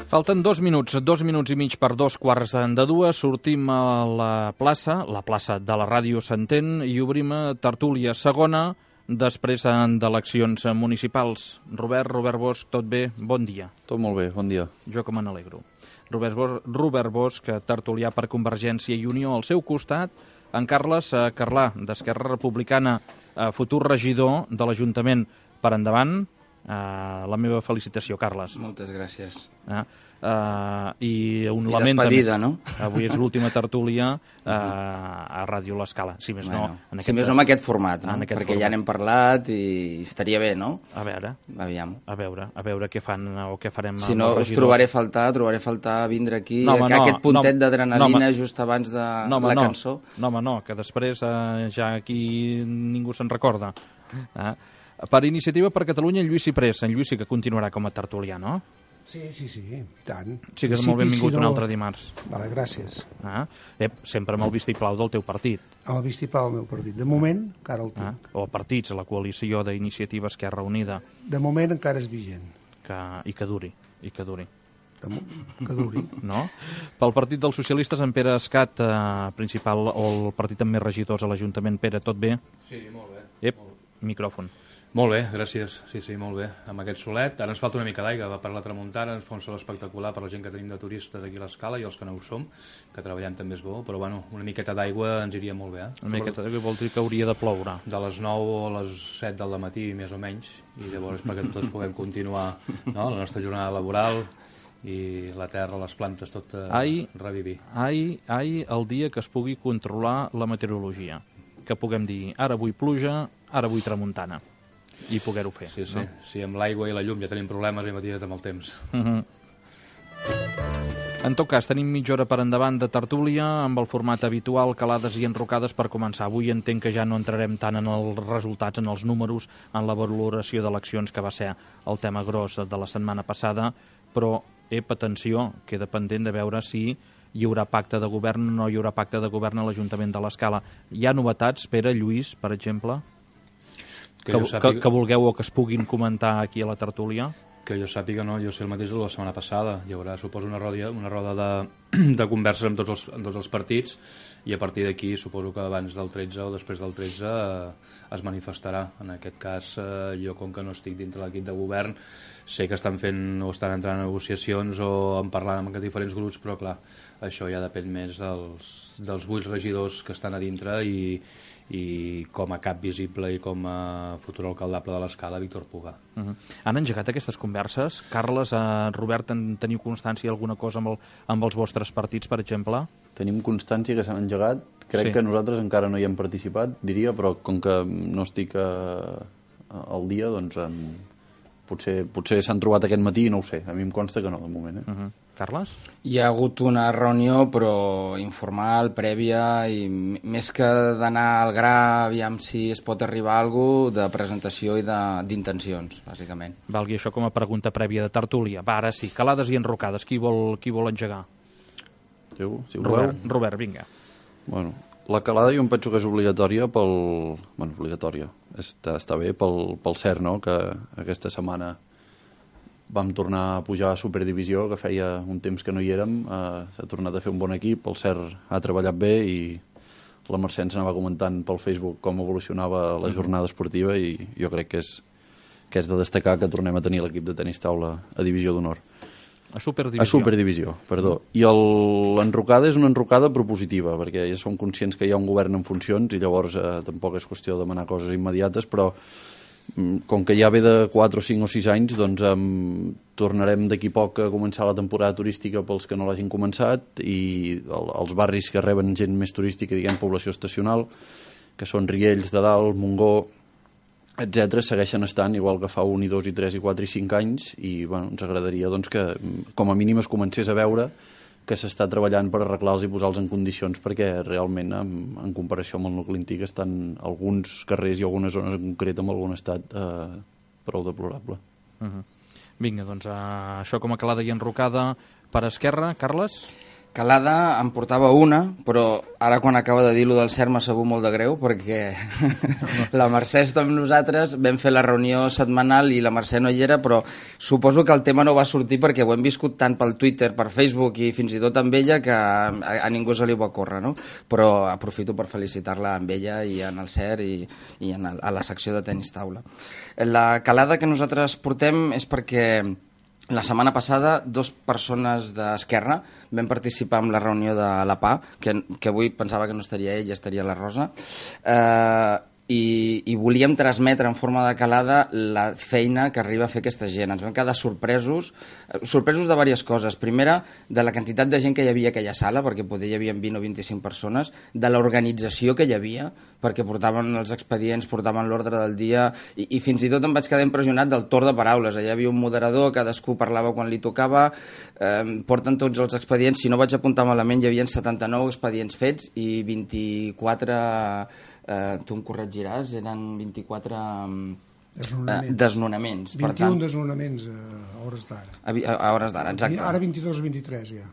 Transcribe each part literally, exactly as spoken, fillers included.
Falten dos minuts, dos minuts i mig per dos quarts de dues. Sortim a la plaça, la plaça de la Ràdio s'entén, i obrim tertúlia segona després d'eleccions municipals. Robert, Robert Bosch, tot bé? Bon dia. Tot molt bé, bon dia. Jo que me n'alegro. Robert Bosch, Robert Bosch, tertulià per Convergència i Unió. Al seu costat, en Carles Carlà, d'Esquerra Republicana, futur regidor de l'Ajuntament. Per endavant, la meva felicitació, Carles. Moltes gràcies. Uh, uh, I un I lament despedida, també. No? Avui és l'última tertúlia uh, a Ràdio L'Escala. Si més bueno, no, en si més no en aquest format, no? Aquest perquè format. Ja n'hem parlat i estaria bé, no? A veure, Aviam. a veure, a veure què fan o què farem. Si no, us trobaré a faltar, trobaré a faltar vindre aquí, no, home, que no, aquest puntet no, d'adrenalina no, just abans de no, home, la no, cançó. No, home, no, que després uh, ja aquí ningú se'n recorda. Uh, per Iniciativa per Catalunya, en Lluís Ciprés. En Lluís sí que continuarà com a tertulià, no? Sí, sí, sí, i tant. Sí que és molt benvingut un altre dimarts. Vale, gràcies. Ah, eh, sempre amb el vistiplau del teu partit. Amb el vistiplau del meu partit. De moment, encara el tinc. Ah, o partits, la coalició d'Iniciativa Esquerra Unida. De moment encara és vigent. Que, I que duri, i que duri. De mo... Que duri. No? Pel Partit dels Socialistes, en Pere Escat, eh, principal, o el partit amb més regidors a l'Ajuntament. Pere, tot bé? Sí, molt bé. Ep, micròfon. Molt bé, gràcies. Sí, sí, molt bé. Amb aquest solet. Ara ens falta una mica d'aigua. Va per la tramuntana, ens fa un sol espectacular per la gent que tenim de turistes aquí a l'Escala i els que no ho som, que treballem també és bo, però bueno, una miqueta d'aigua ens iria molt bé. Eh? Una miqueta d'aigua vol dir que hauria de ploure. De les nou a les set del matí, més o menys, i llavors perquè tots puguem continuar, no?, la nostra jornada laboral i la terra, les plantes, tot eh, ai, revivir. Ai, ai, el dia que es pugui controlar la meteorologia. Que puguem dir, ara vull pluja, ara vull tramuntana. I poder-ho fer. Sí, sí. No? Si amb l'aigua i la llum ja tenim problemes, imagina't amb el temps. Uh -huh. En tot cas, tenim mitja hora per endavant de tertúlia amb el format habitual, calades i enrocades per començar. Avui entenc que ja no entrarem tant en els resultats, en els números, en la valoració d'eleccions, que va ser el tema gros de la setmana passada, però, ep, atenció, queda pendent de veure si hi haurà pacte de govern o no hi haurà pacte de govern a l'Ajuntament de l'Escala. Hi ha novetats, Pere, Lluís, per exemple? Que, que, sàpiga... que, que vulgueu o que es puguin comentar aquí a la tertúlia? Que jo sàpiga, no, jo sé el mateix de la setmana passada. Hi haurà, suposo, una roda, una roda de, de converses amb tots els, amb tots els partits i a partir d'aquí suposo que abans del tretze o després del tretze eh, es manifestarà. En aquest cas, eh, jo com que no estic dintre l'equip de govern, sé que estan fent o estan entrant en negociacions o en parlant amb diferents grups, però clar, això ja depèn més dels, dels vuit regidors que estan a dintre i i com a cap visible i com a futur alcaldable de l'Escala, Víctor Puga. Uh -huh. Han engegat aquestes converses? Carles, eh, Robert, en teniu constància alguna cosa amb, el, amb els vostres partits, per exemple? Tenim constància que s'han engegat. Crec sí. que nosaltres encara no hi hem participat, diria, però com que no estic a, a, al dia, doncs en, potser, potser s'han trobat aquest matí i no ho sé. A mi em consta que no, de moment. Eh? Uh -huh. Carles? Hi ha hagut una reunió, però informal, prèvia, i més que d'anar al gra, aviam si es pot arribar a alguna cosa, de presentació i d'intencions, bàsicament. Valgui això com a pregunta prèvia de tertúlia. Va, ara sí, calades i enrocades. Qui vol, qui vol engegar? Jo, si Robert, Robert, vinga. Bueno, la calada jo em penso que és obligatòria pel... Bueno, obligatòria. Està, està bé pel, pel cert, no?, que aquesta setmana vam tornar a pujar a Superdivisió, que feia un temps que no hi érem. Uh, s'ha tornat a fer un bon equip, el Cert ha treballat bé i la Mercè ens anava comentant pel Facebook com evolucionava la jornada esportiva i jo crec que és, que és de destacar que tornem a tenir l'equip de tenis taula a Divisió d'Honor. A Superdivisió. A Superdivisió, perdó. I l'enrocada és una enrocada propositiva, perquè ja som conscients que hi ha un govern en funcions i llavors eh, tampoc és qüestió de demanar coses immediates, però com que ja ve de quatre o cinc o sis anys, doncs um, tornarem d'aquí poc a començar la temporada turística pels que no l'hagin començat i el, els barris que reben gent més turística, diguem, població estacional, que són Riells de Dalt, Montgó, etcètera, segueixen estant igual que fa un i dos i tres i quatre i cinc anys i bueno, ens agradaria doncs, que com a mínim es comencés a veure que s'està treballant per arreglar-los i posar-los en condicions perquè realment en, en comparació amb el nucli antic estan alguns carrers i algunes zones en concret amb algun estat eh, prou deplorable. Uh -huh. Vinga, doncs uh, això com a calada i enrocada per Esquerra. Carles? Calada em portava una, però ara quan acaba de dir-lo del CERN m'ha sabut molt de greu, perquè la Mercè està amb nosaltres, vam fer la reunió setmanal i la Mercè no hi era, però suposo que el tema no va sortir perquè ho hem viscut tant pel Twitter, per Facebook i fins i tot amb ella que a, a ningú se li va córrer, no? Però aprofito per felicitar-la amb ella i en el CERN i, i en el, a la secció de tenis taula. La calada que nosaltres portem és perquè la setmana passada, dues persones d'Esquerra vam participar en la reunió de la P A, que, que avui pensava que no estaria ell, estaria la Rosa, eh, i, i volíem transmetre en forma de calada la feina que arriba a fer aquesta gent. Ens vam quedar sorpresos, sorpresos de diverses coses. Primera, de la quantitat de gent que hi havia a aquella sala, perquè poder hi havia vint o vint-i-cinc persones, de l'organització que hi havia, perquè portaven els expedients, portaven l'ordre del dia, i, i fins i tot em vaig quedar impressionat del torn de paraules. Allà hi havia un moderador, cadascú parlava quan li tocava, eh, porten tots els expedients, si no vaig apuntar malament hi havia setanta-nou expedients fets i vint-i-quatre, eh, tu em corregiràs, eren vint-i-quatre Desnonaments. Eh, desnonaments. vint i un Per tant, desnonaments a hores d'ara. a, a hores d'ara, exacte. Ara vint-i-dos o vint-i-tres ja.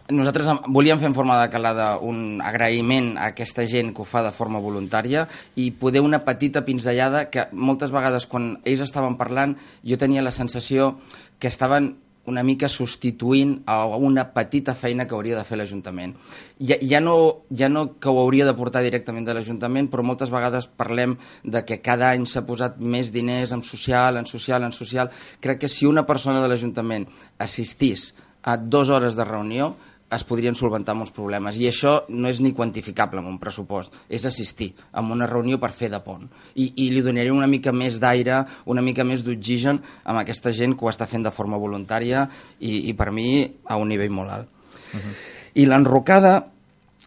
Nosaltres volíem fer en forma de calada un agraïment a aquesta gent que ho fa de forma voluntària i poder una petita pinzellada que moltes vegades quan ells estaven parlant jo tenia la sensació que estaven una mica substituint a una petita feina que hauria de fer l'Ajuntament. Ja, ja, no, ja no que ho hauria de portar directament de l'Ajuntament, però moltes vegades parlem de que cada any s'ha posat més diners en social, en social, en social. Crec que si una persona de l'Ajuntament assistís a dues hores de reunió es podrien solventar molts problemes. I això no és ni quantificable en un pressupost, és assistir a una reunió per fer de pont. I, i li donaria una mica més d'aire, una mica més d'oxigen amb aquesta gent que ho està fent de forma voluntària i, i per mi a un nivell molt alt. Uh-huh. I l'enrocada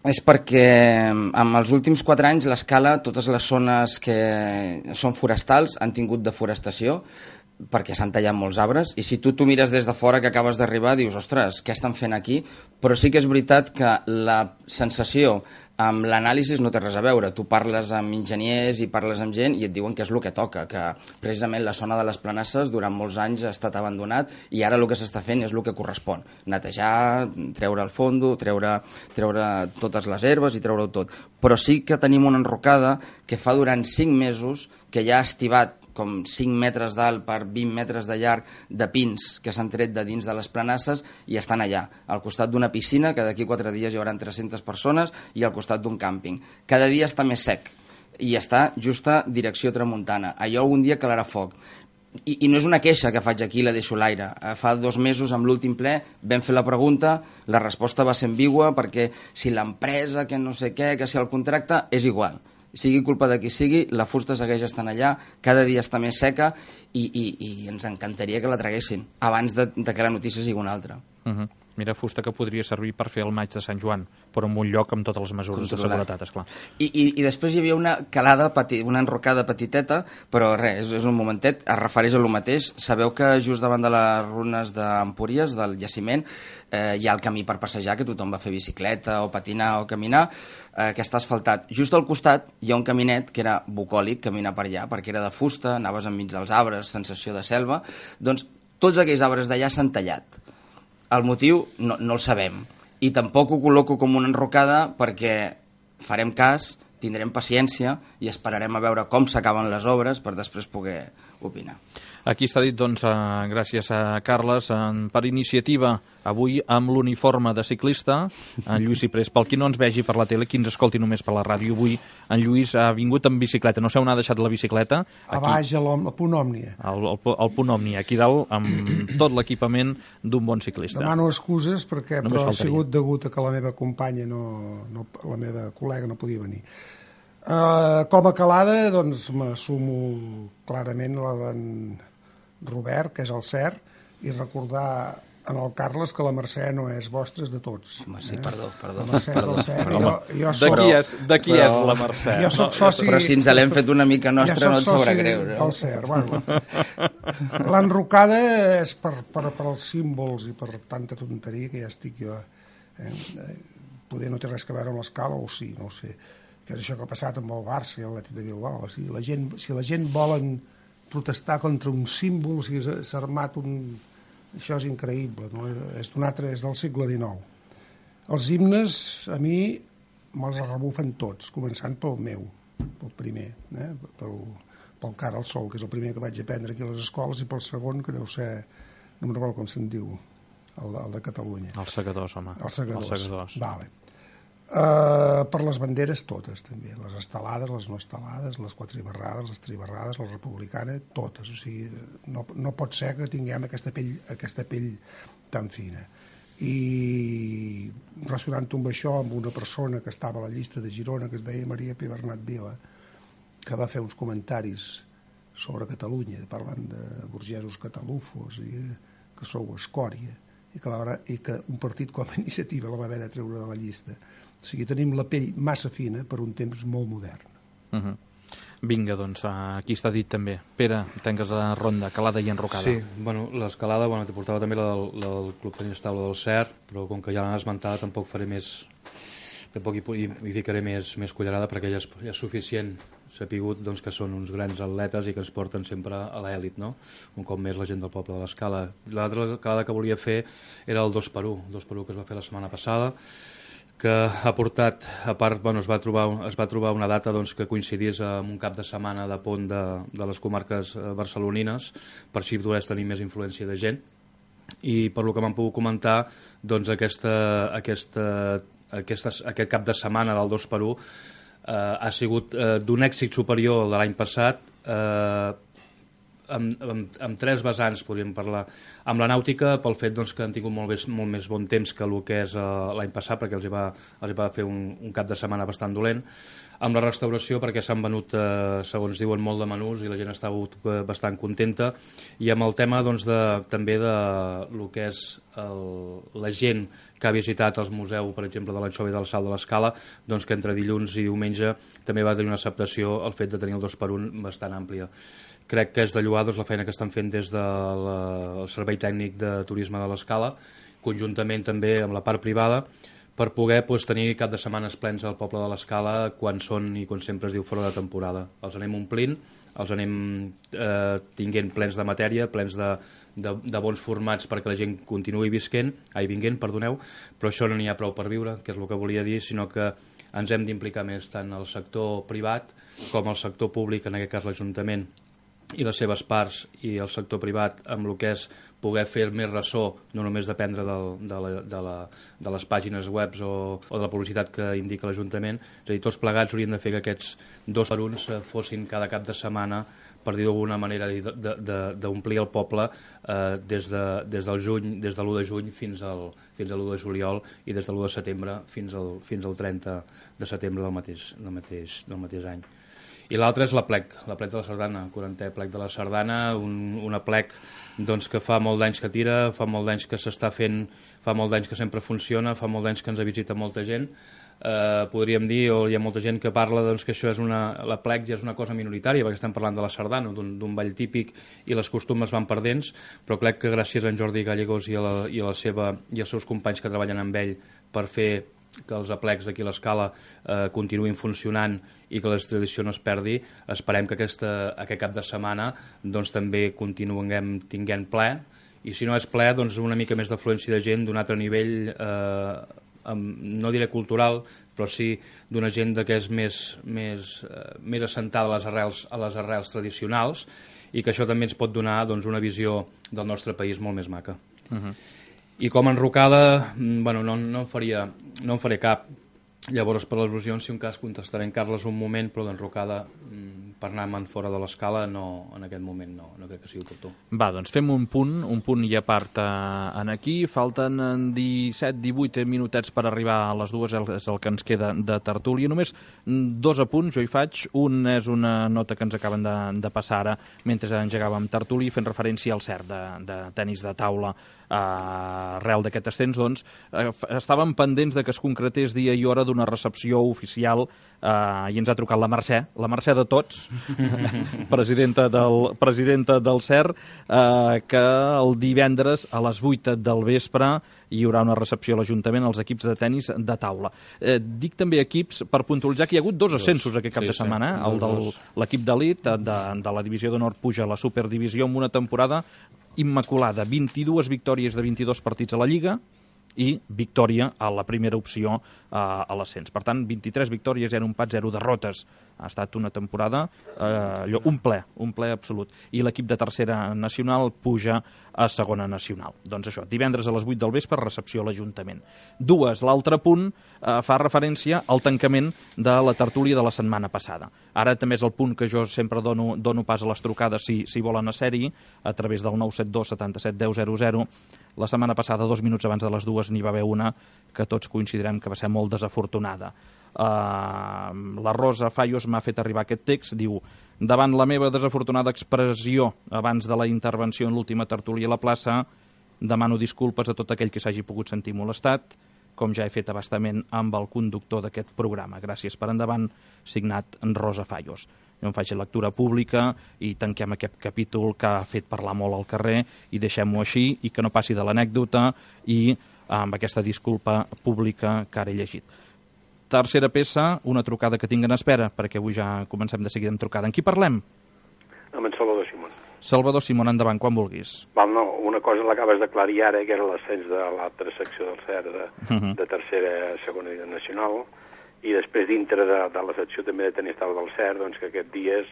és perquè en els últims quatre anys l'Escala, totes les zones que són forestals han tingut deforestació, perquè s'han tallat molts arbres, i si tu t'ho mires des de fora que acabes d'arribar dius, ostres, què estan fent aquí? Però sí que és veritat que la sensació amb l'anàlisi no té res a veure. Tu parles amb enginyers i parles amb gent i et diuen que és el que toca, que precisament la zona de les Planasses durant molts anys ha estat abandonat i ara el que s'està fent és el que correspon. Netejar, treure el fondo, treure, treure totes les herbes i treure-ho tot. Però sí que tenim una enrocada que fa durant cinc mesos que ja ha estivat com cinc metres d'alt per vint metres de llarg de pins que s'han tret de dins de les Planasses i estan allà, al costat d'una piscina que d'aquí quatre dies hi haurà tres-centes persones i al costat d'un càmping. Cada dia està més sec i està justa direcció tramuntana. Allò algun dia calarà foc. I, I no és una queixa que faig aquí i la deixo a l'aire. Fa dos mesos, amb l'últim ple, vam fer la pregunta, la resposta va ser ambigua perquè si l'empresa, que no sé què, que si el contracte, és igual. Sigui culpa de qui sigui, la fusta segueix estant allà, cada dia està més seca i, i, i ens encantaria que la traguessin abans de, de que la notícia sigui una altra. Uh-huh. Mira, fusta que podria servir per fer el maig de Sant Joan, però en un lloc amb totes les mesures controlat. De seguretat, esclar. I, i, I després hi havia una calada, peti, una enrocada petiteta, però res, és, és un momentet, es refereix a lo mateix. Sabeu que just davant de les runes d'Empúries, del jaciment, eh, hi ha el camí per passejar, que tothom va fer bicicleta o patinar o caminar, eh, que està asfaltat. Just al costat hi ha un caminet que era bucòlic, caminar per allà, perquè era de fusta, anaves enmig dels arbres, sensació de selva. Doncs tots aquells arbres d'allà s'han tallat. El motiu no, no el sabem i tampoc ho col·loco com una enrocada perquè farem cas, tindrem paciència i esperarem a veure com s'acaben les obres per després poder opinar. Aquí està dit, doncs, eh, gràcies a Carles, eh, per iniciativa avui amb l'uniforme de ciclista, en Lluís Ciprés. Pel qui no ens vegi per la tele, qui ens escolti només per la ràdio, avui en Lluís ha vingut amb bicicleta. No sé on ha deixat la bicicleta. A baix, al punt Òmnia. Al, al, al punt Òmnia, aquí dalt, amb tot l'equipament d'un bon ciclista. Demano excuses perquè Només però ha faltaria. sigut degut a que la meva companya, no, no, la meva col·lega no podia venir. Uh, com a calada, doncs, m'assumo clarament la d'en Robert, que és el cert, i recordar en el Carles que la Mercè no és vostra, és de tots. Home, sí, eh? perdó, perdó. La Mercè perdó, és del cert. perdó. Jo, jo De soc, qui és, de qui però- és la Mercè? jo soc soci... Però si ens l'hem fet una mica nostra, jo no et soc sabrà soci greu. del cert. Bueno, l'enrocada és per, per, per als símbols i per tanta tonteria que ja estic jo. Eh? Poder no té res a veure amb l'escala, o sí, no ho sé. Que és això que ha passat amb el Barça i l'Atlètic de Bilbao. Si la gent, si la gent volen protestar contra un símbol, si s'ha armat un Això és increïble, no? És d'un altre, és del segle dinou. Els himnes, a mi, me'ls rebufen tots, començant pel meu, pel primer, eh? pel, pel Cara al Sol, que és el primer que vaig aprendre aquí a les escoles, i pel segon, que deu ser, no me'n recordo com se'n diu, el, el de Catalunya. Els segadors, home. Els segadors. Els segadors. Vale. Uh, per les banderes totes, també. Les estelades, les no estelades, les quatribarrades, les tribarrades, les republicanes, totes. O sigui, no, no pot ser que tinguem aquesta pell, aquesta pell tan fina. I relacionant-ho amb això, amb una persona que estava a la llista de Girona, que es deia Maria Pi Bernat Vila, que va fer uns comentaris sobre Catalunya, parlant de burgesos catalufos i que sou escòria, i que, va, i que un partit com a Iniciativa la va haver de treure de la llista. O sigui, tenim la pell massa fina per un temps molt modern. Uh-huh. Vinga, doncs, aquí està dit també. Pere, tengues la ronda, calada i enrocada. Sí, bueno, l'escalada, bueno, t'hi portava també la del, la del Club Tenis Taula del C E R, però com que ja l'han esmentada tampoc faré més... tampoc hi, hi, hi ficaré més, més cullerada perquè ja és, ja és suficient sapigut doncs, que són uns grans atletes i que ens porten sempre a l'èlit, no? Un cop més la gent del poble de l'Escala. L'altra calada que volia fer era el dos per u, el dos per u que es va fer la setmana passada, que ha portat, a part, bueno, es va trobar, es va trobar una data doncs, que coincidís amb un cap de setmana de pont de, de les comarques barcelonines, per així poder tenir més influència de gent. I per lo que m'han pogut comentar, doncs aquesta, aquesta, aquesta, aquest cap de setmana del dos per u eh, ha sigut eh, d'un èxit superior al de l'any passat, eh, Amb, amb, amb tres vessants podríem parlar. Amb la nàutica, pel fet doncs, que han tingut molt més, molt més bon temps que el que és uh, l'any passat, perquè els hi va, els hi va fer un, un cap de setmana bastant dolent. Amb la restauració, perquè s'han venut, uh, segons diuen, molt de menús i la gent està uh, bastant contenta. I amb el tema doncs, de, també de lo que és el, la gent que ha visitat el museu, per exemple, de l'Anxova i del Salt de l'Escala, doncs, que entre dilluns i diumenge també va tenir una acceptació el fet de tenir el dos per un bastant àmplia. Crec que és de lloar doncs, la feina que estan fent des del de Servei Tècnic de Turisme de l'Escala, conjuntament també amb la part privada, per poder doncs, tenir cap de setmanes plens al poble de l'Escala quan són, i quan sempre es diu, fora de temporada. Els anem omplint, els anem eh, tinguent plens de matèria, plens de, de, de bons formats perquè la gent continuï visquent, ai, vinguent, perdoneu, però això no n'hi ha prou per viure, que és el que volia dir, sinó que ens hem d'implicar més tant el sector privat com el sector públic, en aquest cas l'Ajuntament, i les seves parts i el sector privat amb el que és poder fer més ressò, no només dependre del, de, la, de, la, de les pàgines web o, o de la publicitat que indica l'Ajuntament. És a dir, tots plegats haurien de fer que aquests dos per uns fossin cada cap de setmana, per dir d'alguna manera, d'omplir el poble eh, des, de, des del juny, des de l'u de juny fins al, fins a l'u de juliol i des de l'u de setembre fins al, fins al trenta de setembre del mateix, del mateix, del mateix any. I l'altre és la plec, la plec de la Sardana, el quarantè plec de la Sardana, un, una plec doncs, que fa molt d'anys que tira, fa molt d'anys que s'està fent, fa molt d'anys que sempre funciona, fa molt d'anys que ens visita molta gent. Eh, podríem dir, o hi ha molta gent que parla doncs, que això és una, la plec ja és una cosa minoritària, perquè estem parlant de la Sardana, d'un ball típic, i les costumes van perdents, però crec que gràcies a en Jordi Gallegos i a, la, i, a la seva, i als seus companys que treballen amb ell per fer que els aplecs d'aquí a l'Escala eh, continuïn funcionant i que la tradició no es perdi, esperem que aquesta, aquest cap de setmana doncs, també continuem tinguent ple, i si no és ple, doncs una mica més d'afluència de gent d'un altre nivell, eh, amb, no diré cultural, però sí d'una gent que és més, més, eh, més assentada a les, arrels, a les arrels tradicionals, i que això també ens pot donar doncs, una visió del nostre país molt més maca. Uh-huh. I com a enrocada, bueno, no, no, en faria, no en faré cap. Llavors, per les al·lusions, si un cas contestaré en Carles un moment, però d'enrocada, per anar-me'n fora de l'escala, no, en aquest moment no, no crec que sigui oportú. Va, doncs fem un punt, un punt i a part eh, en aquí. Falten disset divuit minutets per arribar a les dues, és el que ens queda de tertúlia. Només dos apunts, jo hi faig. Un és una nota que ens acaben de, de passar ara, mentre engegàvem tertúlia, fent referència al C E R de, de tenis de taula. Uh, arrel d'aquest ascens, doncs, uh, estàvem pendents de que es concretés dia i hora d'una recepció oficial uh, i ens ha trucat la Mercè, la Mercè de tots, presidenta del, presidenta del C E R, uh, que el divendres a les vuit del vespre hi haurà una recepció a l'Ajuntament als equips de tenis de taula. Eh, dic també equips per puntualitzar que hi ha hagut dos ascensos aquest cap sí, de setmana, sí. El de l'equip d'elit de, de la divisió d'honor puja a la superdivisió amb una temporada immaculada, vint-i-dues victòries de vint-i-dos partits a la Lliga i victòria a la primera opció eh, a l'ascens. Per tant, vint-i-tres victòries, zero empats, zero derrotes. Ha estat una temporada, eh, allò, un ple, un ple absolut. I l'equip de tercera nacional puja a segona nacional. Doncs això, divendres a les vuit del vespre, recepció a l'Ajuntament. Dues, l'altre punt eh, fa referència al tancament de la tertúlia de la setmana passada. Ara també és el punt que jo sempre dono, dono pas a les trucades si, si volen a ser-hi, a través del nou set dos setanta-set deu zero zero. La setmana passada, dos minuts abans de les dues, n'hi va haver una que tots coincidirem que va ser molt desafortunada. Uh, la Rosa Fallos m'ha fet arribar aquest text, diu: davant la meva desafortunada expressió abans de la intervenció en l'última tertúlia a la plaça, demano disculpes a tot aquell que s'hagi pogut sentir molestat, com ja he fet abastament amb el conductor d'aquest programa. Gràcies per endavant, signat Rosa Fallos. Jo em faig lectura pública i tanquem aquest capítol que ha fet parlar molt al carrer i deixem-ho així i que no passi de l'anècdota i amb aquesta disculpa pública que ara he llegit. Tercera peça, una trucada que tinc en espera, perquè avui ja comencem de seguida amb trucada. En qui parlem? Amb en Salvador Simón. Salvador Simón, endavant, quan vulguis. Val, no, una cosa l'acabes d'aclarir ara, que era l'ascens de l'altra secció del C E R de, uh -huh. de tercera a segona nacional, i després dintre de, de la secció també de tenir estable del C E R, doncs que aquests dies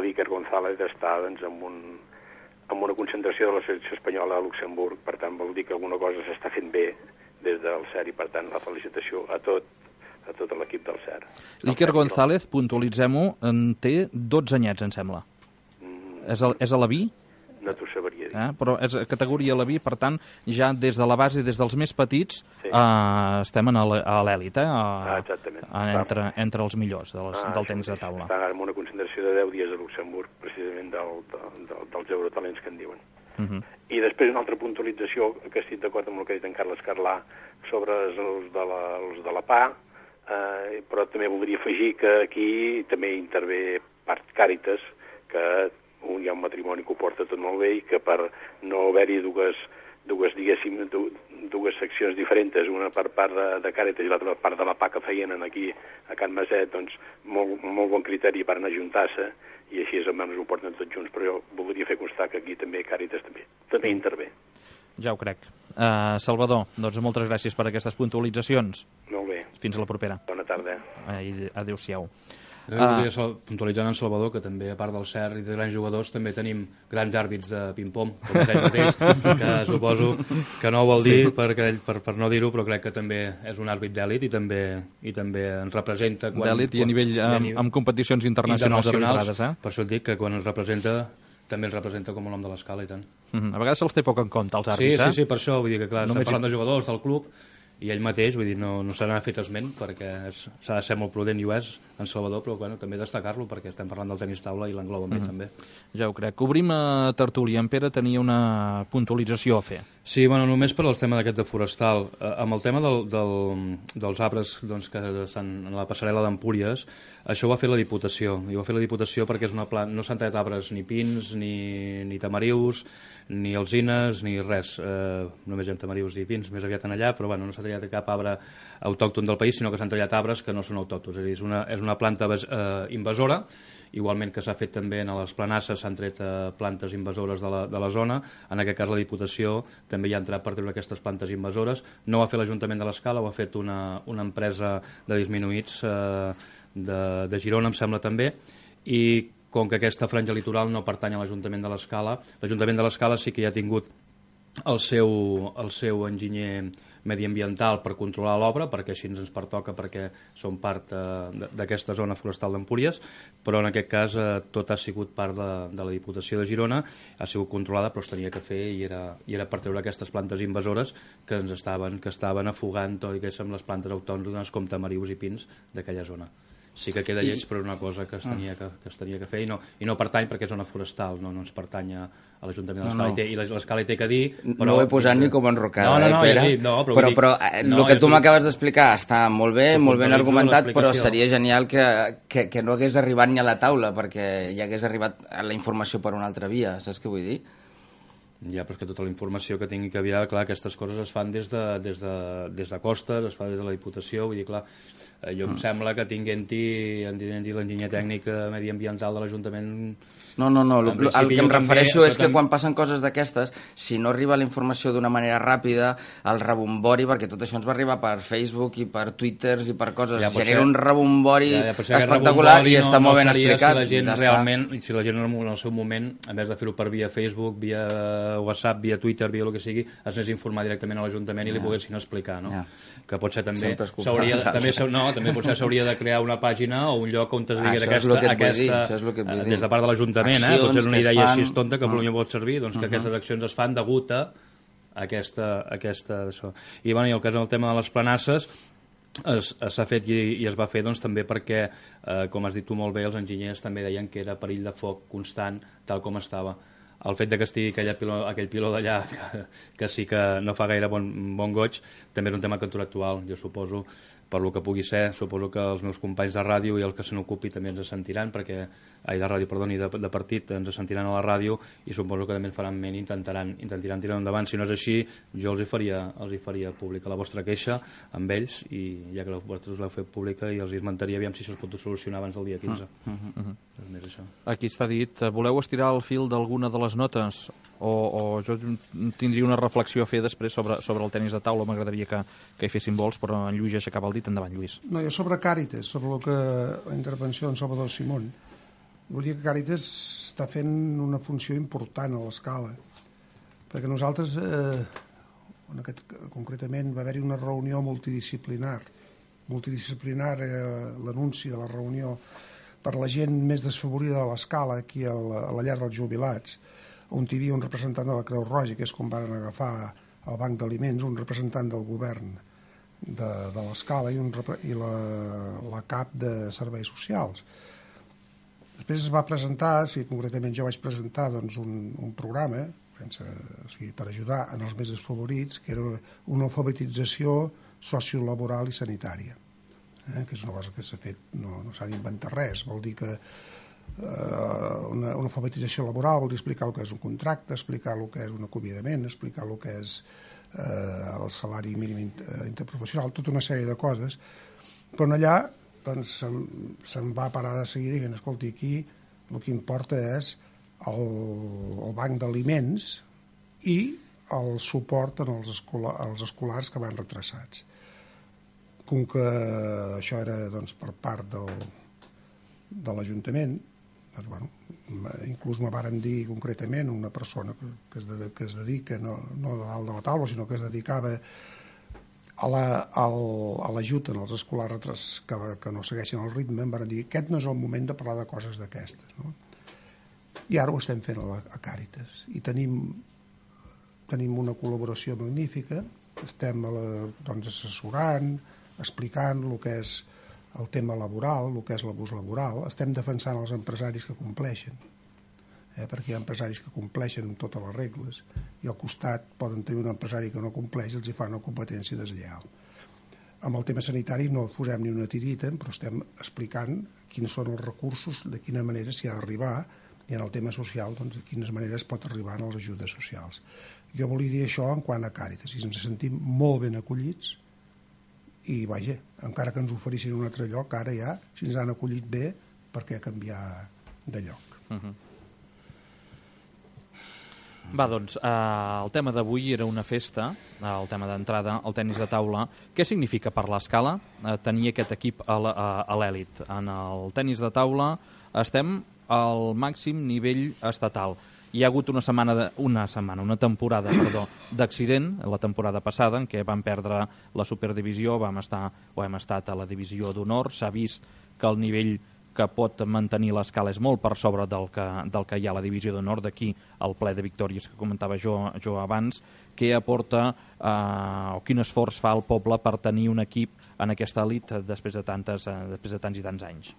l'Iker González està doncs, amb, un, amb una concentració de la selecció espanyola a Luxemburg, per tant vol dir que alguna cosa s'està fent bé des del C E R i per tant la felicitació a tot a tot l'equip del C E R. L'Iker González, puntualitzem-ho, en té dotze anyets, em sembla. Mm. És, a, és a la B? No t'ho sabria dir. Eh? Però és categoria a la B, per tant, ja des de la base, des dels més petits, sí. eh, estem a l'èlit, eh? A, ah, exactament. A, entre, entre els millors de les, ah, del sí, tenis de sí. taula. Està en una concentració de deu dies a Luxemburg, precisament del, del, dels eurotalents que en diuen. Uh -huh. I després una altra puntualització, que estic d'acord amb el que ha dit en Carles Carlà, sobre els de la, els de la P A, eh, però també voldria afegir que aquí també intervé part Càritas, que un, hi ha un matrimoni que ho porta tot molt bé i que per no haver-hi dues, dues, diguéssim, dues seccions diferents, una per part de, de Càritas i l'altra per part de la P A que feien aquí a Can Maset, doncs molt, molt bon criteri per anar a juntar-se i així almenys ho porten tots junts, però jo voldria fer constar que aquí també Càritas també, també intervé. Ja ho crec. Uh, Salvador, doncs moltes gràcies per aquestes puntualitzacions. Molt bé. Fins a la propera. Bona tarda. Uh, Adéu-siau. Jo volia uh, puntualitzar en Salvador que també, a part del C E R i de grans jugadors, també tenim grans àrbits de ping-pong, com ell mateix, que suposo que no ho vol dir sí. per, per, per no dir-ho, però crec que també és un àrbit d'èlit i també i també ens representa... D'èlit i a nivell, quan, amb, amb competicions internacionals, internacionals eh? Per això et dic que quan ens representa també ens representa com un home de l'escala i tant. Mm-hmm. A vegades se'ls té poc en compte, els àrbits, sí, eh? Sí, sí, per això, vull dir que clar, no estem parlant de jugadors del club i ell mateix, vull dir, no, no se n'ha fet esment perquè s'ha de ser molt prudent i ho és en Salvador, però bueno, també destacar-lo perquè estem parlant del tenis taula i l'engloba amb ell mm-hmm. també. Ja ho crec. Obrim a tertúlia. En Pere tenia una puntualització a fer. Sí, bueno, només per al tema d'aquest de forestal. Eh, amb el tema del, del, dels arbres doncs, que estan en la passarel·la d'Empúries, això ho va fer la Diputació. I ho va fer la Diputació perquè és una planta, no s'han tallat arbres ni pins, ni, ni tamarius, ni alzines, ni res. Eh, només hi ha tamarius i pins més aviat en allà, però bueno, no s'ha tallat cap arbre autòcton del país, sinó que s'han tallat arbres que no són autòctons. És a dir, és una, és una planta eh, invasora, igualment que s'ha fet també a les planasses, s'han tret eh, plantes invasores de la, de la zona. En aquest cas la Diputació també hi ha entrat per treure aquestes plantes invasores. No ho ha fet l'Ajuntament de l'Escala, ho ha fet una, una empresa de disminuïts eh, de, de Girona, em sembla també, i com que aquesta franja litoral no pertany a l'Ajuntament de l'Escala, l'Ajuntament de l'Escala sí que ja ha tingut el seu, el seu enginyer mediambiental per controlar l'obra, perquè així ens pertoca, perquè som part eh, d'aquesta zona forestal d'Empúries, però en aquest cas eh, tot ha sigut part de, de la Diputació de Girona, ha sigut controlada però es tenia que fer i era, i era per treure aquestes plantes invasores que ens estaven, que estaven afogant tot i que som les plantes autòctones com tamarius i pins d'aquella zona. Sí que queda lleig, però és una cosa que es tenia que, que, es tenia que fer i no, i no pertany perquè és zona forestal, no, no ens pertany a, a l'Ajuntament de l'Escala, no, no. i l'Escala hi té que dir... Però... No ho he posat ni com enrocada, no, no, no, eh, Pere? Ja dit, no, però, però, dic, però eh, no, el que tu dic... m'acabes d'explicar està molt bé, molt ben argumentat, però seria genial que, que, que no hagués arribat ni a la taula, perquè ja hagués arribat a la informació per una altra via, saps què vull dir? Ja, però és que tota la informació que tingui que haver, clar, aquestes coses es fan des de, des de, des de Costes, es fa des de la Diputació, vull dir, clar, jo em sembla que tinguent-hi l'enginyer tècnic mediambiental de l'Ajuntament No, no, no, el, el que em refereixo és que també... quan passen coses d'aquestes, si no arriba la informació d'una manera ràpida, el rebombori, perquè tot això ens va arribar per Facebook i per Twitters i per coses, ja, genera ser... un rebombori ja, ja, espectacular rebombori i està no, molt ben no explicat. Si la gent realment, si la gent en el seu moment, en vez de fer-ho per via Facebook, via WhatsApp, via Twitter, via el que sigui, es anés a informar directament a l'Ajuntament i li ja. poguessin explicar, no? Ja. Que potser també s'hauria també, no, també potser s'hauria de crear una pàgina o un lloc on es digui aquesta, aquesta des de part de l'Ajuntament, eh? Potser és una idea així tonta que a Catalunya pot servir, doncs que uh -huh. aquestes accions es fan degut a aquesta... aquesta això. I, bueno, i el cas del tema de les planasses s'ha fet i, i es va fer doncs, també perquè, eh, com has dit tu molt bé, els enginyers també deien que era perill de foc constant tal com estava. El fet de que estigui aquell piló, aquell piló d'allà que, que sí que no fa gaire bon, bon goig també és un tema contractual, jo suposo, per lo que pugui ser, suposo que els meus companys de ràdio i el que se n'ocupi també ens sentiran, perquè, ai, de ràdio, perdoni, de, de partit, ens sentiran a la ràdio i suposo que també faran ment i intentaran, intentaran tirar endavant. Si no és així, jo els hi faria, els hi faria pública la vostra queixa amb ells i ja que vosaltres l'heu fet pública i els hi esmentaria aviam si això es pot solucionar abans del dia quinze. Uh -huh. Uh -huh. És més això. Aquí està dit, voleu estirar el fil d'alguna de les notes? O, o jo tindria una reflexió a fer després sobre, sobre el tenis de taula, m'agradaria que, que hi fessin vols, però en Lluís ja aixecava el dit. Endavant, Lluís. No, jo sobre Càritas, sobre el que, la intervenció d'en Salvador Simón, vull dir que Càritas està fent una funció important a l'escala, perquè nosaltres, eh, en aquest, concretament, va haver-hi una reunió multidisciplinar, multidisciplinar eh, l'anunci de la reunió per la gent més desfavorida de l'escala, aquí a la, a la llar dels jubilats, on hi havia un representant de la Creu Roja, que és com van agafar el Banc d'Aliments, un representant del govern de, de l'escala i, un, i la, la cap de serveis socials. Després es va presentar, si concretament jo vaig presentar doncs, un, un programa sense, o sigui, per ajudar en els més desfavorits, que era una alfabetització sociolaboral i sanitària, eh? que és una cosa que s'ha fet, no, no s'ha d'inventar res, vol dir que Una, una alfabetització laboral vol dir explicar el que és un contracte, explicar el que és un acomiadament, explicar el que és eh, el salari mínim interprofessional, tota una sèrie de coses, però allà doncs, se'n, se'n va parar de seguida i dient, escolti, aquí el que importa és el, el banc d'aliments i el suport als, escola, als escolars que van retrasats. Com que això era doncs, per part del, de l'Ajuntament, doncs, bueno, inclús me varen dir concretament una persona que es, de, que es dedica, no, no de dalt de la taula, sinó que es dedicava a l'ajut la, en els escolars retres, que, que no segueixen el ritme, em van dir que aquest no és el moment de parlar de coses d'aquestes. No? I ara ho estem fent a, a Càritas. I tenim, tenim una col·laboració magnífica, estem a la, doncs, assessorant, explicant el que és el tema laboral, el que és l'abús laboral, estem defensant els empresaris que compleixen, eh, perquè hi ha empresaris que compleixen amb totes les regles i al costat poden tenir un empresari que no compleix i els hi fa una competència deslleial. Amb el tema sanitari no posem ni una tirita, però estem explicant quins són els recursos, de quina manera s'hi ha d'arribar, i en el tema social, doncs, de quines maneres pot arribar a les ajudes socials. Jo volia dir això en quant a Càritas, i ens sentim molt ben acollits, i vaja, encara que ens oferissin un altre lloc, ara ja, si ens han acollit bé, per què canviar de lloc? Uh-huh. Va, doncs, eh, el tema d'avui era una festa, eh, el tema d'entrada, el tenis de taula. Què significa per l'Escala eh, tenir aquest equip a l'èlit? En el tenis de taula estem al màxim nivell estatal. Hi ha hagut una setmana, de, una setmana, una temporada, perdó, d'accident, la temporada passada, en què vam perdre la superdivisió, vam estar, o hem estat a la divisió d'honor, s'ha vist que el nivell que pot mantenir l'Escala és molt per sobre del que, del que hi ha a la divisió d'honor, d'aquí el ple de victòries que comentava jo, jo abans. Què aporta eh, o quin esforç fa el poble per tenir un equip en aquesta elit després de, tantes, eh, després de tants i tants anys?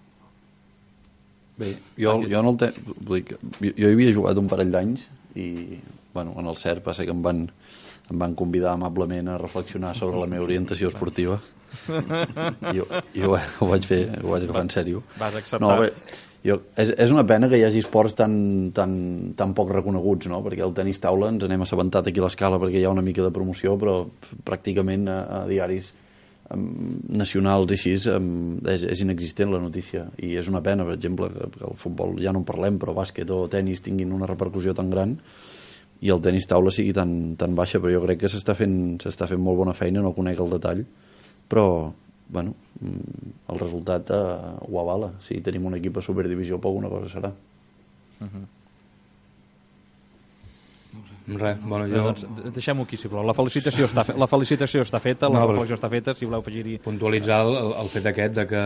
Bé, jo, jo, no el te... jo, jo hi havia jugat un parell d'anys i bueno, en el CERP va ser que em van, em van convidar amablement a reflexionar sobre la meva orientació esportiva i jo, jo ho vaig fer, ho vaig agafar en sèrio. Vas acceptar? No, bé, jo, és, és una pena que hi hagi esports tan, tan, tan poc reconeguts, no? Perquè el tenis taula ens n'hem assabentat aquí a l'Escala perquè hi ha una mica de promoció, però pràcticament a, a diaris nacionals i així, és, és inexistent la notícia, i és una pena, per exemple, que el futbol ja no en parlem, però bàsquet o tenis tinguin una repercussió tan gran i el tenis taula sigui tan, tan baixa, però jo crec que s'està fent, s'està fent molt bona feina, no conec el detall, però bueno, el resultat eh, ho avala. Si tenim un equip a Superdivisió, poc una cosa serà. Uh-huh. Res, bueno, jo... Doncs deixem-ho aquí, sisplau. La felicitació està, fe... la felicitació està feta, la no, reflexió està feta, si voleu afegir-hi... Puntualitzar el, el fet aquest de que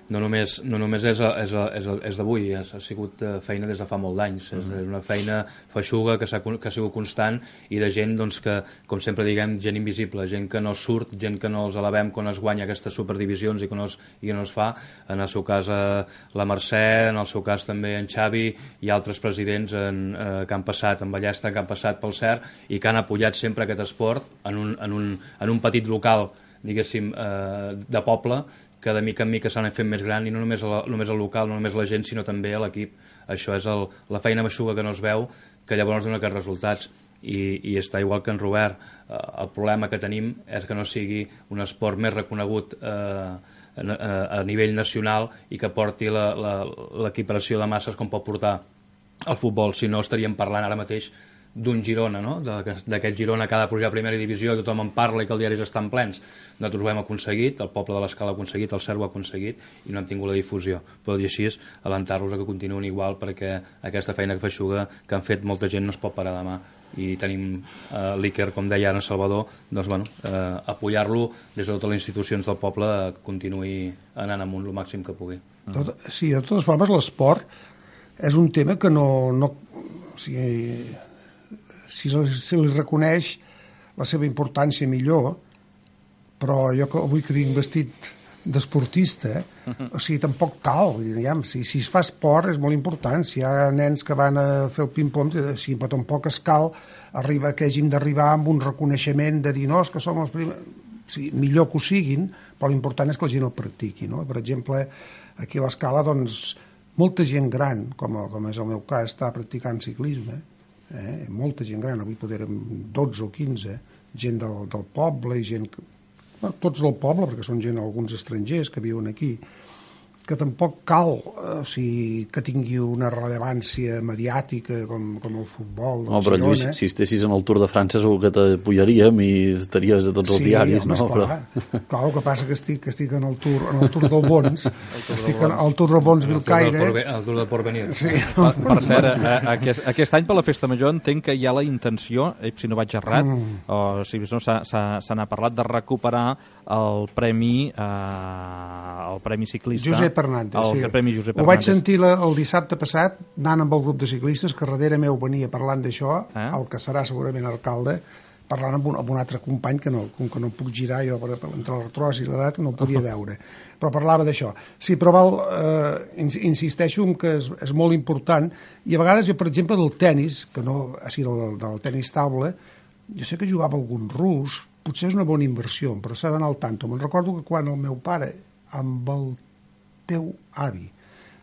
no només, no només és, és, és, és d'avui, ha sigut feina des de fa molt d'anys, és una feina feixuga que, que ha sigut constant i de gent doncs, que, com sempre diguem, gent invisible, gent que no surt, gent que no els elevem quan es guanya aquestes superdivisions i que no es, i que no es fa, en el seu cas eh, la Mercè, en el seu cas també en Xavi i altres presidents en, eh, que han passat en Ballesta, que han passat pel C E R i que han apoyat sempre aquest esport en un, en un, en un petit local, diguéssim, eh, de poble, que de mica en mica s'han fet més gran, i no només, la, només el local, no només la gent, sinó també l'equip. Això és el, la feina feixuga que no es veu, que llavors dona aquests resultats. I, i està igual que en Robert. Eh, el problema que tenim és que no sigui un esport més reconegut eh, a, a, a nivell nacional i que porti l'equiparació de masses com pot portar el futbol. Si no, estaríem parlant ara mateix d'un Girona, no? D'aquest Girona que ha de pujar a primera divisió, tothom en parla i que els diaris estan plens. Nosaltres ho hem aconseguit, el poble de l'Escala ha aconseguit, el C E R ho ha aconseguit i no hem tingut la difusió. Però dir així és alentar-los a que continuïn igual, perquè aquesta feina que feixuga que han fet molta gent no es pot parar demà. I tenim eh, l'Iker, com deia ara en Salvador, doncs, bueno, eh, apoyar-lo des de totes les institucions del poble a que continuï anant amunt el màxim que pugui. Tot, sí, de totes formes, l'esport és un tema que no... no o sigui, si se li reconeix la seva importància millor, però jo que avui que vinc vestit d'esportista, o sigui, tampoc cal, diguem, si, si es fa esport és molt important, si hi ha nens que van a fer el ping-pong, sí, però tampoc es cal arribar, que hàgim d'arribar amb un reconeixement de dir, no, és que som els primers... Sí, millor que ho siguin, però l'important és que la gent el practiqui, no? Per exemple, aquí a l'Escala, doncs, molta gent gran, com, com és el meu cas, està practicant ciclisme, Eh, molta gent gran, avui podrem dotze o quinze, gent del, del poble i gent, bueno, tots del poble, perquè són gent, alguns estrangers que viuen aquí, que tampoc cal eh, o sigui, que tingui una rellevància mediàtica com, com el futbol del no, però Girona. Lluís, si estessis en el Tour de França segur que t'apoyaríem i estaries a tots els sí, diaris, home, no? Clar, però... clar, el que passa que estic, que estic en el Tour, en el Tour del Bons, estic en el Tour del Bons Vilcaire. El Tour del Porvenir. Sí. Per, per cert, a, a, aquest, aquest any per la Festa Major entenc que hi ha la intenció, eh, si no vaig errat, mm. o si no se n'ha parlat, de recuperar el premi eh, el premi ciclista Josep Hernández, el, sí. el premi Josep ho Hernández. vaig sentir la, el dissabte passat anant amb el grup de ciclistes que darrere meu venia parlant d'això, eh? El que serà segurament alcalde, parlant amb un, amb un altre company que no, com que no puc girar jo per, per, entre l'artròs i l'edat no ho podia veure, però parlava d'això. Sí, però val, eh, insisteixo en que és, és molt important, i a vegades jo, per exemple, del tennis, que no, així del, del tennis taula, jo sé que jugava algun rus, potser és una bona inversió, però s'ha d'anar al tanto. Me'n recordo que quan el meu pare amb el teu avi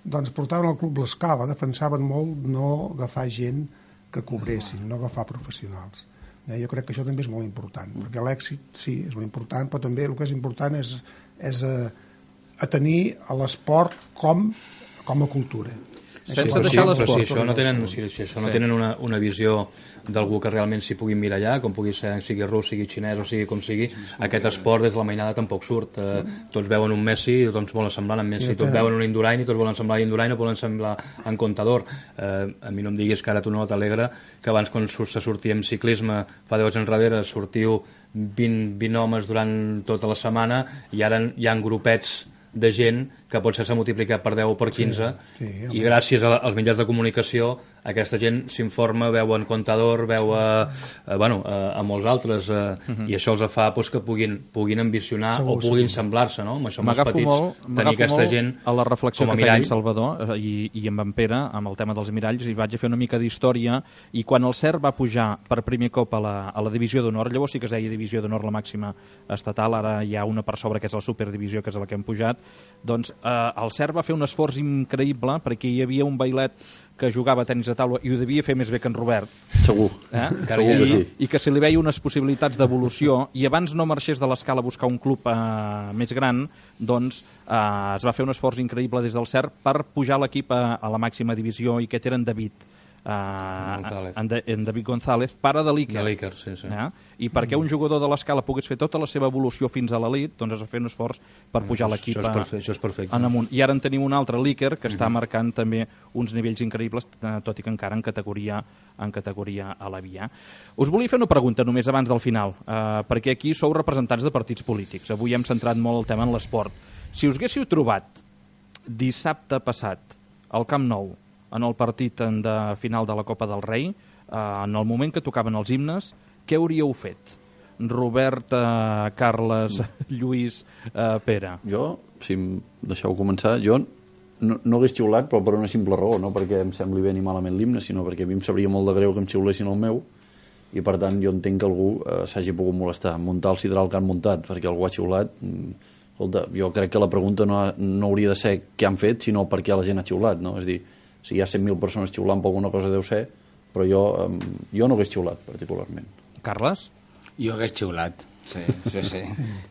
doncs portaven al Club l'Escala, defensaven molt no agafar gent que cobressin, no agafar professionals. Eh, jo crec que això també és molt important, perquè l'èxit sí, és molt important, però també el que és important és, és a, a tenir l'esport com, com a cultura. Sense sí, deixar sí, l'esport. Si això no tenen, si, si això no sí. tenen una, una visió d'algú que realment s'hi pugui mirar allà, com pugui ser, sigui rus, sigui xinès o sigui com sigui, aquest esport des de la mainada tampoc surt. Eh, tots veuen un Messi i tots volen semblar en Messi, sí, tots veuen un Indurain i tots volen semblar Indurain o volen semblar en Contador. Eh, a mi no em diguis que ara tu no t'alegra que abans quan se sortia en ciclisme fa deu anys enrere sortiu vint, vint homes durant tota la setmana i ara hi ha grupets de gent que potser s'ha multiplicat per deu o per quinze sí, sí, i gràcies als mitjans de comunicació aquesta gent s'informa, veu en Contador, veu a, a, bueno, a, a molts altres eh, uh -huh. i això els fa pues, que puguin, puguin ambicionar segur, o puguin segur. semblar-se, no? Amb això amb els petits, molt, tenir aquesta gent a la reflexió com a que feia mirall. en Salvador i, i amb en Pere amb el tema dels miralls i vaig a fer una mica d'història i quan el C E R va pujar per primer cop a la, a la divisió d'honor, llavors sí que es deia divisió d'honor la màxima estatal, ara hi ha una per sobre que és la superdivisió que és la que hem pujat, doncs eh, el Cert va fer un esforç increïble perquè hi havia un bailet que jugava a tenis de taula i ho devia fer més bé que en Robert. Segur. Eh? Segur I, que sí. I que se li veia unes possibilitats d'evolució i abans no marxés de l'escala a buscar un club eh, més gran, doncs eh, es va fer un esforç increïble des del Cert per pujar l'equip a, a la màxima divisió i aquest era en David. Uh, en, de, en David González, pare de l'Iker. De l'Iker, sí, sí. Eh? I perquè un jugador de l'escala pogués fer tota la seva evolució fins a l'elit, doncs es va fer un esforç per pujar això, l'equip això és perfecte, això és perfecte. en amunt. I ara en tenim un altre, l'Iker, que està marcant també uns nivells increïbles, tot i que encara en categoria, en categoria a la via. Us volia fer una pregunta només abans del final, eh, perquè aquí sou representants de partits polítics. Avui hem centrat molt el tema en l'esport. Si us haguéssiu trobat dissabte passat al Camp Nou en el partit de final de la Copa del Rei, eh, en el moment que tocaven els himnes, què hauríeu fet? Robert, eh, Carles, Lluís, eh, Pere. Jo, si em deixeu començar, jo no, no hagués xiulat, però per una simple raó, no perquè em sembli bé ni malament l'himne, sinó perquè a mi em sabria molt de greu que em xiulessin el meu, i per tant jo entenc que algú eh, s'hagi pogut molestar. Muntar el sidral que han muntat perquè algú ha xiulat, escolta, jo crec que la pregunta no, ha, no hauria de ser què han fet, sinó per què la gent ha xiulat, no? És a dir, si hi ha cent mil persones xiulant per alguna cosa deu ser, però jo, jo no hagués xiulat particularment. Carles? Jo hagués xiulat, sí, sí, sí.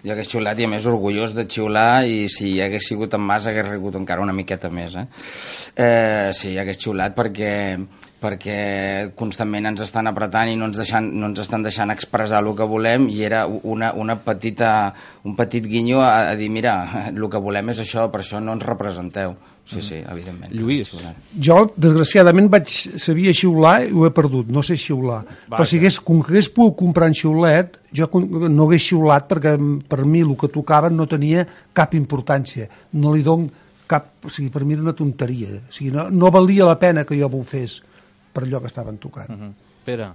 Jo hagués xiulat i a més orgullós de xiular i si hagués sigut en Mas hagués rigut encara una miqueta més. Eh? Eh, sí, hagués xiulat perquè perquè constantment ens estan apretant i no ens, deixant, no ens estan deixant expressar el que volem i era una, una petita, un petit guinyo a, a dir, mira, el que volem és això, per això no ens representeu. Sí, sí, evidentment. Lluís. Jo, desgraciadament, vaig sabia xiular i ho he perdut, no sé xiular. Vaja. Però si hagués, com que hagués pogut comprar un xiulet, jo no hagués xiulat perquè per mi el que tocava no tenia cap importància. No li dono cap... O sigui, per mi era una tonteria. O sigui, no, no valia la pena que jo ho fes per allò que estaven tocant. Uh -huh. Pere?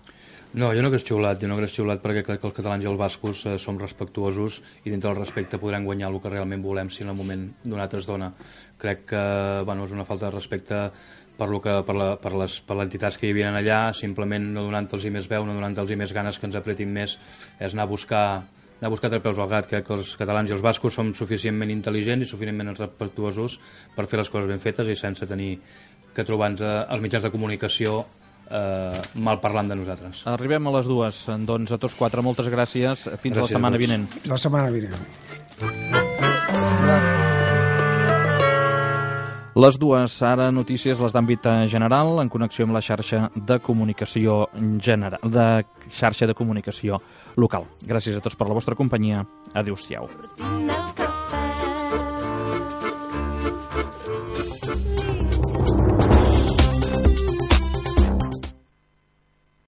No, jo no hagués xiulat, jo no hagués xiulat perquè crec que els catalans i els bascos eh, som respectuosos i dintre del respecte podrem guanyar el que realment volem si en el moment donat es dona. Crec que bueno, és una falta de respecte per, lo que, per, la, per, les, per les entitats que hi havia allà, simplement no donant-los més veu, no donant-los més ganes que ens apretin més, és anar a buscar anar a buscar tres peus al gat. Crec que els catalans i els bascos som suficientment intel·ligents i suficientment respectuosos per fer les coses ben fetes i sense tenir que trobar-nos als mitjans de comunicació eh, mal parlant de nosaltres. Arribem a les dues, doncs a tots quatre moltes gràcies, fins gràcies la setmana vinent. La setmana vinent. Les dues, ara notícies, les d'àmbit general, en connexió amb la xarxa de comunicació general, de xarxa de comunicació local. Gràcies a tots per la vostra companyia. Adéu-siau.